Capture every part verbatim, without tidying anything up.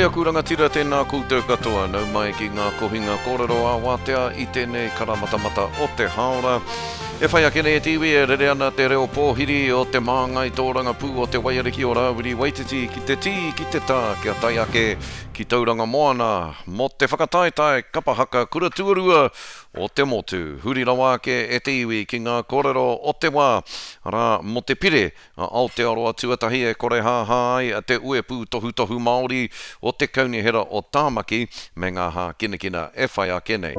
aku rangatira tēnā koutou katoa, nau mai ki ngā kohinga kōrero ā-wātea i tēnei karamatamata o te hāora. E whai ake nei e te iwi e rere ana te reo pōhiri o te māngai tōrangapū o te Waiariki o Rāwiri Waititi ki te tī, ki te tā, kia tae ake ki Tauranga Moana mō te whakataetae kapa haka kura tuarua o te motu. Huri rawa ake e te iwi ki ngā kōrero o te wā, arā, mō te pire a Aotearoa Tuatahi e korehāhā ai te uepū tohutohu Māori o te Kaunihera o Tāmaki me ngā hākinakina e whai ake nei.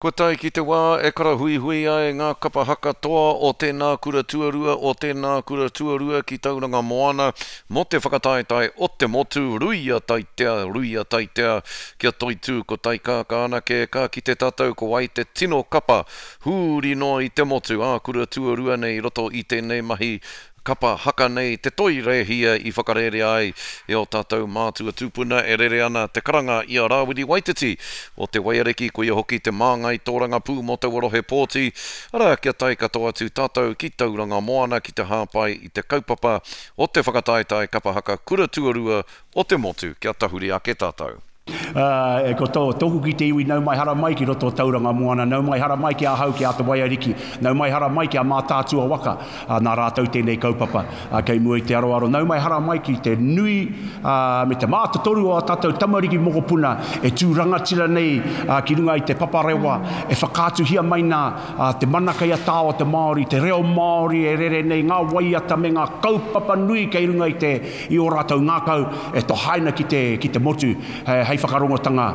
Kua tae ki te wā e karahuihui ai ngā kapa haka toa o tēnā kura tuarua, o tēnā kura tuarua ki Tauranga Moana mō te whakataetae o te motu, ruia taitea, ruia taitea, kia toitū ko Taikākā anake, ka kite tātou ko wai te tino kapa huri noa i te motu, ā kura tuarua nei i roto i tēnei mahi kapa haka nei te toi rēhia i whakarērea ai e ō tātou mātua tūpuna e rere ana te karanga i a Rāwiri Waititi o te Waiariki, koia hoki te māngai tōrangapū mō taua rohe pōti, arā, kia tae katoa atu tātou ki Tauranga Moana ki te hāpai i te kaupapa o te whakataetae kapa haka kura tuarua o te motu kia tahuri ake tātou. Uh, ko tō, tōku ki te iwi, nau mai hara mai ki roto o Tauranga Moana, nau mai hara mai ki ahau ki a Te Waiariki, nau mai hara mai ki a Mātaatua waka, uh, nā rātou tēnei kaupapa uh, kei mua i te aroaro, nau mai hara mai ki te nui uh, me te mātotoru o a tātou tamariki mokopuna e tū rangatira nei uh, ki runga i te paparewa, e whakaatuhia mai nā uh, te mana kei a tā o te Māori, te reo Māori e rere nei, ngā waiata me ngā kaupapa nui kei runga i te i ō rātou ngākau e tohaina ki te, ki te motu, hei whakarongotanga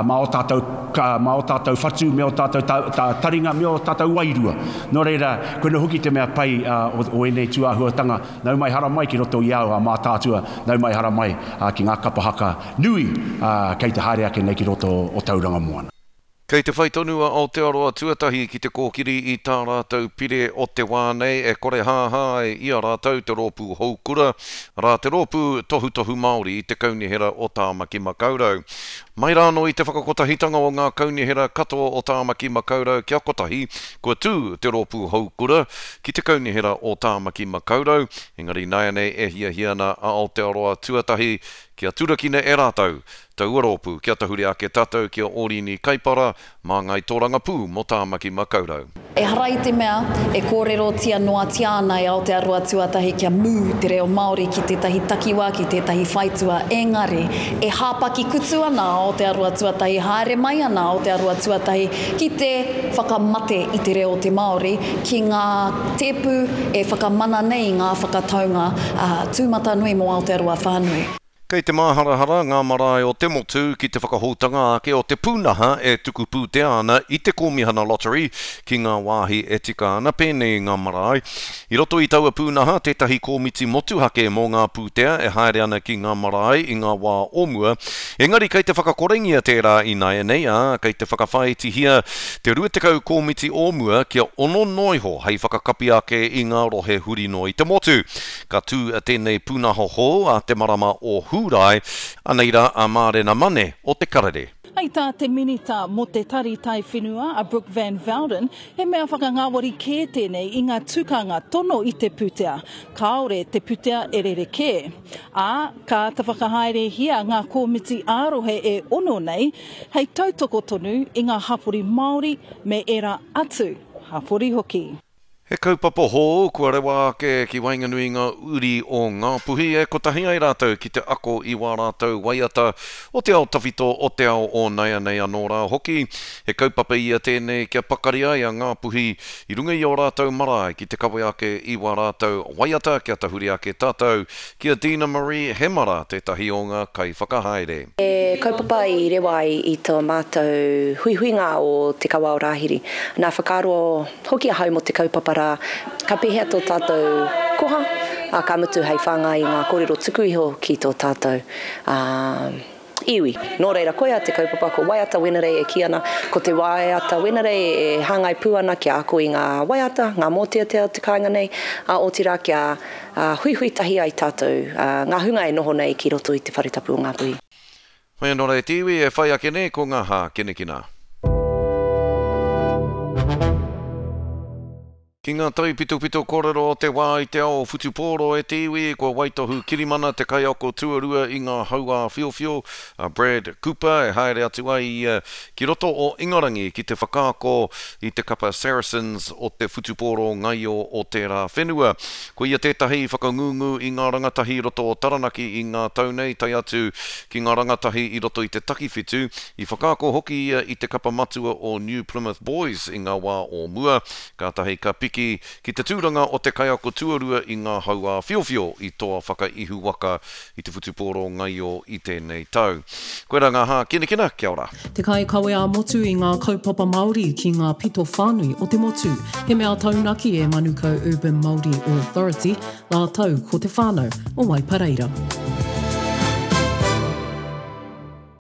mā ō tātou, mā ō tātou whatu, me ō tātou ta, ta, taringa, me ō tātou wairua. Nō reira, koina hoki te mea pai uh, o, o ēnei tūāhuatanga, nau mai hara mai ki roto i au a Mātaatua, nau mai hara mai uh, ki ngā kapa haka nui uh, kei te haere ake nei ki roto o Tauranga Moana. Kei te whai tonu a Aotearoa Tuatahi ki te kōkiri i tā rātou pire o te wā nei e korehāhā ai i a rātou te rōpū houkura, arā te rōpū tohutohu Māori i te kaunihera o Tāmaki Makaurau. Mai rānō i te whakakotahitanga o ngā kaunihera katoa o Tāmaki Makaurau kia kotahi, kua tū te rōpū houkura ki te kaunihera o Tāmaki Makaurau, engari nāianei e hiahia ana a Aotearoa Tuatahi kia turakina e rātou taua rōpū, kia tahuri ake tātou ki a Ōrini Kaipara, māngai tōrangapū mō Tāmaki Makaurau. Ehara i te mea e kōrerotia noatia ana e Aotearoa Tuatahi kia mū te reo Māori ki tētahi takiwā, ki tētahi whaitua, engari e hāpaki kutu ana a Aotearoa Tuatahi, haere mai ana a Aotearoa Tuatahi ki te whakamate i te reo o te Māori, ki ngā tēpu e whakamana nei i ngā whakataunga uh, tūmatanui mō Aotearoa whānui. Kei te māharahara ngā marae o te motu ki te whakahoutanga ake o te pūnaha e tuku pūtea ana i te Kōmihana Lottery ki ngā wāhi e tika ana pēnei i ngā marae. I roto i taua pūnaha tētahi kōmiti motuhake mō ngā pūtea e haere ana ki ngā marae i ngā wā o mua. Engari kei te whakakorengia tērā ināianei, ā, kei te whakawhāitihia te rua tekau kōmiti o mua kia ono noa iho hei whakakapi ake i ngā rohe huri noa i te motu. Ka tū tēnei pūnaha hou a te marama o Hūrae, anei rā a Mārena Mane o te Karere. Hei tā te minita mō te Tari Taiwhenua a Brooke Van Velden, he mea whakangāwari kē tēnei i ngā tukanga tono i te pūtea. Kāore te pūtea e rerekē. Ā, ka āta whakahaerehia ngā kōmiti ā-rohe e ono nei, hei tautoko tonu i ngā hapori Māori me ērā atu hapori hoki. He kaupapa hou kua rewa ake ki waenganui i ngā uri o Ngāpuhi e kotahi ai rātou ki te ako i wā rātou waiata o te ao tawhito, o te ao o naianei anō rā hoki. He kaupapa ia tēnei kia pakari ai a Ngāpuhi i runga i ō rātou marae ki te kawe ake i wā rātou waiata kia tahuri ake tātou ki a Dina Marie Hemara tētahi o ngā kaiwhakahaere. He kaupapa i rewa ai i tō mātou huihuinga o Te Kawa o Rāhiri. Nā whakaaro hoki ahau mō te kaupapa rā, ka pēhea tō tātou koha, ā, ka mutu hei whāngai i ngā kōrero tuku iho ki tō tātou iwi. Nō reira, koia te kaupapa, ko Waiata Wenerei e kī ana, ko te Waiata Wenerei e hāngai pū ana kia ako i ngā waiata, ngā mōteatea o te kāinga nei, ā, otirā kia huihui tahi ai tātou, ngā hunga e noho nei ki roto i te whare tapu o Ngāpuhi. Hoi anō rā e te iwi e whai ake nei ko ngā hākinakina. Ki Ki ngā taipitopito kōrero o te wā i te ao whutupōro e te iwi, kua waitohu kirimana te kaiako tuarua i ngā hau-ā-whiowhio, a Brad Cooper, e haere atu ai ia ki roto o Ingarangi ki te whakaako i te kapa Saracens o te whutupōro ngaio o tērā whenua. Ko ia tētahi i whakangungu i ngā rangatahi i roto o Taranaki i ngā tau nei, tae atu ki ngā rangatahi i roto i te takiwhitu. I whakaako hoki ia i te kapa matua o New Plymouth Boys i ngā wā o mua, kātahi ka piki ki te tūranga o te kaiako tuarua i ngā hau-ā-whiowhio i toa whakaihuwaka i te whutupōro ngaio i tēnei tau. Koirā ngā hākinakina, kia ora. Te kaikawe ā-motu i ngā kaupapa Māori ki ngā pito whānui o te motu. He mea taunaki e Manukau Urban Māori Authority rātou ko te whānau o Waipareira.